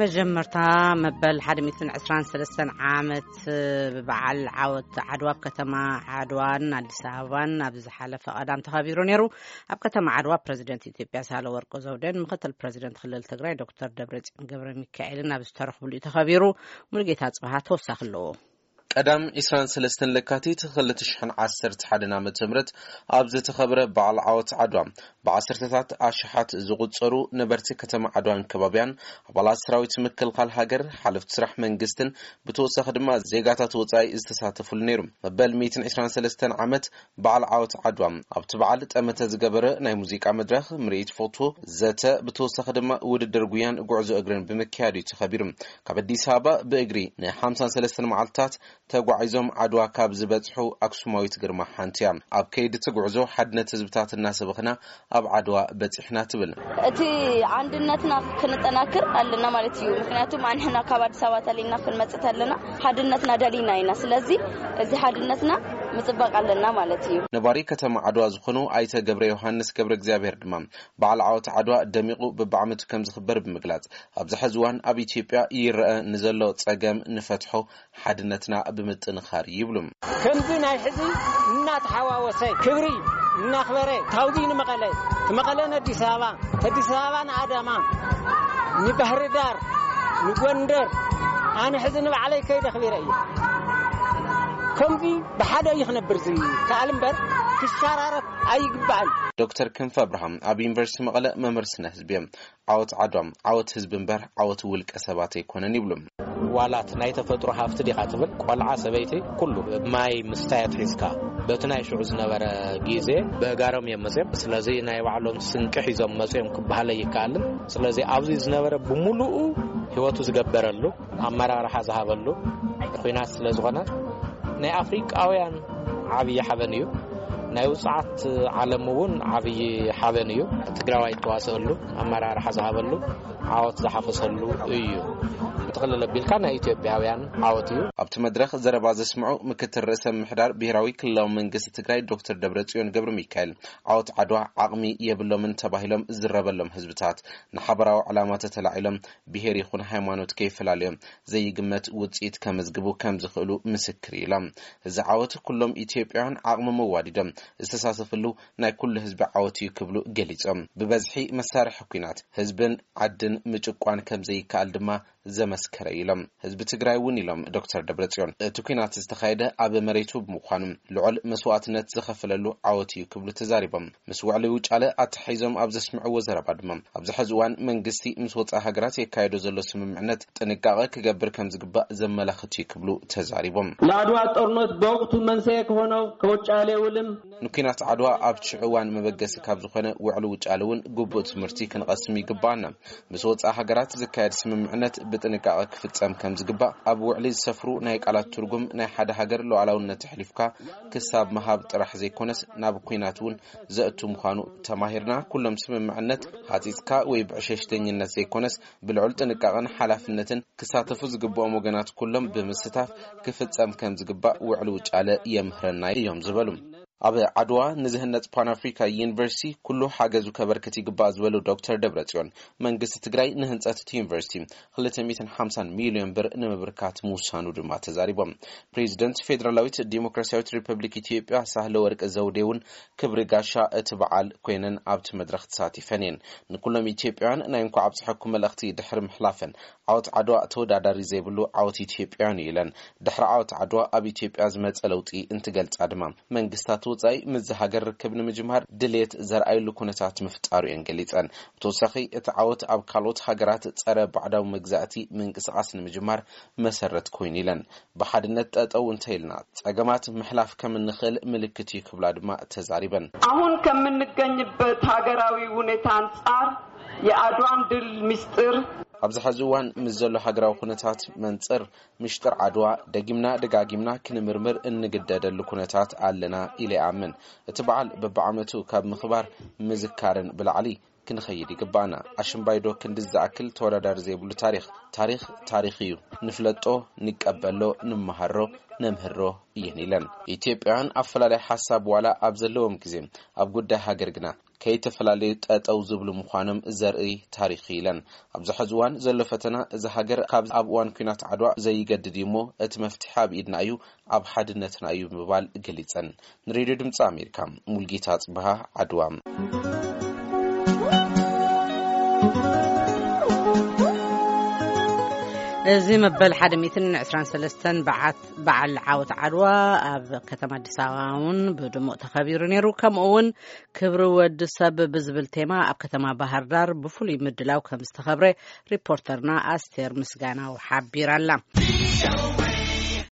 መጀመርታ መበል ሓደ ሚእትን ዕስራን ሰለስተን ዓመት ብበዓል ዓወት ዓድዋ ኣብ ከተማ ዓድዋን ኣዲስ ኣበባን ኣብዚ ዝሓለፈ ቀዳም ተኸቢሩ ነይሩ። ኣብ ከተማ ዓድዋ ፕረዚደንት ኢትዮጵያ ሳህለወርቅ ዘውዴን ምክትል ፕረዚደንት ክልል ትግራይ ዶክተር ደብረጽዮን ገብረ ሚካኤልን ኣብ ዝተረኽብሉ እዩ ተኸቢሩ። ሙሉጌታ ጽብሃ ተወሳኺ ኣለዎ። ቀዳም ዕስራን ሰለስተን ለካቲት ክልተ ሽሕን ዓሰርተ ሓደን ዓመተ ምህረት ኣብ ዝተኸብረ በዓል ዓወት ዓድዋ፣ ብዓሰርተታት ኣሽሓት ዝቑጸሩ ነበርቲ ከተማ ዓድዋን ከባቢያን፣ ኣባላት ሰራዊት ምክልኻል ሃገር፣ ሓለፍቲ ስራሕ መንግስትን ብተወሳኺ ድማ ዜጋታት ወጻኢ ዝተሳተፉሉ ነይሩ። መበል ሚእትን ዕስራን ሰለስተን ዓመት በዓል ዓወት ዓድዋ ኣብቲ በዓል ጠመተ ዝገበረ ናይ ሙዚቃ መድረኽ፣ ምርኢት ፎቶ፣ ዘተ፣ ብተወሳኺ ድማ ውድድር ጉያን ጉዕዞ እግርን ብምክያድ እዩ ተኸቢሩ። ካብ ኣዲስ ኣበባ ብእግሪ ንሓምሳን ሰለስተን መዓልታት ተጓዒዞም ዓድዋ ካብ ዝበጽሑ ኣክሱማዊት ግርማ ሓንቲ እያ። ኣብ ከይዲ እቲ ጉዕዞ ሓድነት ህዝብታት እናሰበኽና ኣብ ዓድዋ በጺሕና ትብል። እቲ አንድነትና ክንጠናክር ኣለና ማለት እዩ። ምክንያቱም ኣንሕና ካብ ኣዲስ ኣበባ ተሊና ክንመጽእ ተለና ሓድነትና ደሊና ኢና። ስለዚ እዚ ሓድነትና ምጽባቅ ኣለና ማለት እዩ። ነባሪ ከተማ ዓድዋ ዝኾኑ ኣይተ ገብረ ዮሃንስ ገብረ እግዚኣብሔር ድማ በዓል ዓወት ዓድዋ ደሚቑ በብዓመቱ ከም ዝኽበር ብምግላጽ፣ ኣብዚ ሕዚ እዋን ኣብ ኢትዮጵያ ይረአ ንዘሎ ጸገም ንፈትሖ ሓድነትና ብምጥንኻር ይብሉ። ከምዚ ናይ ሕዚ እናተሓዋወሰ ክብሪ እናኽበረ ታውዚ ንመቐለ፣ ትመቐለ ንኣዲስ ኣበባ፣ ተዲስ ኣበባ ንኣዳማ፣ ንባህሪ ዳር፣ ንጎንደር፣ ኣነ ሕዚ ንባዕለይ ከይደ ኣኽቢረ እየ። ከምዚ ብሓደ እዩ ክነብር ዝከኣል እምበር ክሸራረፍ ኣይግባእን። ዶክተር ክንፈ ኣብርሃም ኣብ ዩኒቨርሲቲ መቐለ መምህር ስነ ህዝቢ እዮም። ዓወት ዓድዋ ዓወት ህዝቢ እምበር ዓወት ውልቀ ሰባት ኣይኮነን ይብሉ። ዋላት ናይ ተፈጥሮ ሃፍቲ ዲኻ ትብል ቆልዓ ሰበይቲ ኩሉ ማይ ምስታይ ኣትሒዝካ በቲ ናይ ሽዑ ዝነበረ ግዜ ብእጋሮም እዮም መፅዮም። ስለዚ ናይ ባዕሎም ስንቂ ሒዞም መፅዮም ክበሃል ኣይከኣልን። ስለዚ ኣብዚ ዝነበረ ብምሉኡ ህይወቱ ዝገበረሉ ኣመራርሓ ዝሃበሉ ኲናት ስለ ዝኾነ ናይ ኣፍሪቃውያን ዓብዪ ሓበን እዩ። ናይ ውፅዓት ዓለም እውን ዓብዪ ሓበን እዩ። ትግራዋይ እተዋሰአሉ ኣመራርሓ ዝሃበሉ ዓወት ዝሓፈሰሉ እዩ። ጥቕልል ኣቢልካ ናይ ኢትዮጵያውያን ዓወት እዩ። ኣብቲ መድረኽ ዘረባ ዘስምዑ ምክትል ርእሰ ምምሕዳር ብሄራዊ ክልላዊ መንግስቲ ትግራይ ዶክተር ደብረፅዮን ገብረ ሚካኤል ዓወት ዓድዋ ዓቕሚ የብሎምን ተባሂሎም ዝዝረበሎም ህዝብታት ንሓበራዊ ዕላማ ተተላዒሎም ብሄር ይኹን ሃይማኖት ከይፈላለዮም ዘይግመት ውፅኢት ከመዝግቡ ከም ዝኽእሉ ምስክር ኢሎም። እዚ ዓወት ኩሎም ኢትዮጵያውያን ዓቕሞም ኣዋዲዶም ዝተሳተፍሉ ናይ ኩሉ ህዝቢ ዓወት እዩ ክብሉ ገሊፆም። ብበዝሒ መሳርሒ ኲናት ህዝብን ዓድን ምጭቋን ከም ዘይከኣል ድማ ዘመስከረ ኢሎም። ህዝቢ ትግራይ እውን ኢሎም ዶክተር ደብረፅዮን እቲ ኲናት ዝተኻየደ ኣብ መሬቱ ብምዃኑ ልዑል መስዋእትነት ዝኸፈለሉ ዓወት እዩ ክብሉ ተዛሪቦም። ምስ ውዕሊ ውጫለ ኣተሓሒዞም ኣብ ዘስምዕዎ ዘረባ ድማ ኣብዚ ሕዚ እዋን መንግስቲ ምስ ወፃኢ ሃገራት የካየዶ ዘሎ ስምምዕነት ጥንቃቐ ክገብር ከም ዝግባእ ዘመላኽት እዩ ክብሉ ተዛሪቦም። ለአድዋ ጦርነት በወቅቱ መንስኤ ከሆነው ከውጫሌ ውልም ንኲናት ዓድዋ ኣብቲ ሽዑ እዋን መበገሲ ካብ ዝኾነ ውዕሊ ውጫሌ እውን ግቡእ ትምህርቲ ክንቐስም ይግባኣና። ምስ ወፃኢ ሃገራት ዝካየድ ስምምዕነት ብጥንቃቐ ክፍፀም ከም ዝግባእ፣ ኣብ ውዕሊ ዝሰፍሩ ናይ ቃላት ትርጉም ናይ ሓደ ሃገር ሉዓላውነት ኣሕሊፍካ ክሳብ ምሃብ ጥራሕ ዘይኮነስ ናብ ኲናት እውን ዘእቱ ምዃኑ ተማሂርና። ኩሎም ስምምዕነት ሃፂፅካ ወይ ብዕሸሽተኝነት ዘይኮነስ ብልዑል ጥንቃቐን ሓላፍነትን ክሳተፉ ዝግብኦም ወገናት ኩሎም ብምስታፍ ክፍፀም ከም ዝግባእ ውዕሊ ውጫለ የምህረና እዮም ዝበሉ። ኣብ ዓድዋ ንዝህነፅ ፓን ኣፍሪካ ዩኒቨርሲቲ ኩሉ ሓገዙ ከበርክት ይግባእ ዝበሉ ዶክተር ደብረፅዮን መንግስቲ ትግራይ ንህንፀት እቲ ዩኒቨርሲቲ ክልተ ሚእትን ሓምሳን ሚልዮን ብር ንምብርካት ምውሳኑ ድማ ተዛሪቦም። ፕሬዚደንት ፌዴራላዊት ዲሞክራሲያዊት ሪፐብሊክ ኢትዮጵያ ሳህለ ወርቅ ዘውዴ እውን ክብሪ ጋሻ እቲ በዓል ኮይነን ኣብቲ መድረኽ ተሳቲፈን እየን። ንኩሎም ኢትዮጵያውያን ናይ እንኳዕ ኣብፀሐኩም መልእኽቲ ድሕሪ ምሕላፈን ዓወት ዓድዋ ተወዳዳሪ ዘይብሉ ዓወት ኢትዮጵያውያን እዩ ኢለን። ድሕሪ ዓወት ዓድዋ ኣብ ኢትዮጵያ ዝመፀ ለውጢ እንትገልፃ ድማ መንግስታት ወፃኢ ምስዚ ሃገር ርክብ ንምጅማር ድሌት ዘርኣይሉ ኩነታት ምፍጣሩ እየን ገሊፀን። ብተወሳኺ እቲ ዓወት ኣብ ካልኦት ሃገራት ፀረ ባዕዳዊ መግዛእቲ ምንቅስቃስ ንምጅማር መሰረት ኮይኑ ኢለን። ብሓድነት ጠጠው እንተኢልና ፀገማት ምሕላፍ ከም እንኽእል ምልክት እዩ ክብላ ድማ ተዛሪበን። አሁን ከምንገኝበት ሀገራዊ ሁኔታ አንጻር የአድዋን ድል ምስጢር ኣብዚ ሕዚ እዋን ምስ ዘሎ ሃገራዊ ኩነታት መንፅር ምሽጥር ዓድዋ ደጊምና ደጋጊምና ክንምርምር እንግደደሉ ኩነታት ኣለና ኢለ ይኣምን። እቲ በዓል በብዓመቱ ካብ ምኽባር ምዝካርን ብላዕሊ ክንኸይድ ይግባእና። ኣሽምባይዶ ክንድዚ ዝኣክል ተወዳዳሪ ዘይብሉ ታሪኽ። ታሪኽ ታሪኽ እዩ። ንፍለጦ፣ ንቀበሎ፣ ንመሃሮ፣ ነምህሮ እየን ኢለን። ኢትዮጵያውያን ኣፈላላይ ሓሳብ ዋላ ኣብ ዘለዎም ግዜ ኣብ ጉዳይ ሃገር ግና ከይተፈላለዩ ጠጠው ዝብሉ ምዃኖም ዘርኢ ታሪኽ ኢለን። ኣብዚ ሕዚ እዋን ዘሎ ፈተና እዛ ሃገር ካብ ኣብ እዋን ኲናት ዓድዋ ዘይገድድ እዩ እሞ፣ እቲ መፍትሒ ኣብ ኢድና እዩ፣ ኣብ ሓድነትና እዩ ብምባል ገሊጸን። ንሬድዮ ድምፂ ኣሜሪካ፣ ሙልጌታ ጽብሃ፣ ዓድዋ። እዚ መበል ሓደ ሚእትን ዕስራን ሰለስተን በዓት በዓል ዓወት ዓድዋ ኣብ ከተማ ኣዲስ ኣበባ እውን ብድሙቕ ተኸቢሩ ነይሩ። ከምኡ እውን ክብሪ ወዲ ሰብ ብዝብል ቴማ ኣብ ከተማ ባህር ዳር ብፍሉይ ምድላው ከም ዝተኸብረ ሪፖርተርና ኣስቴር ምስጋናው ሓቢራላ።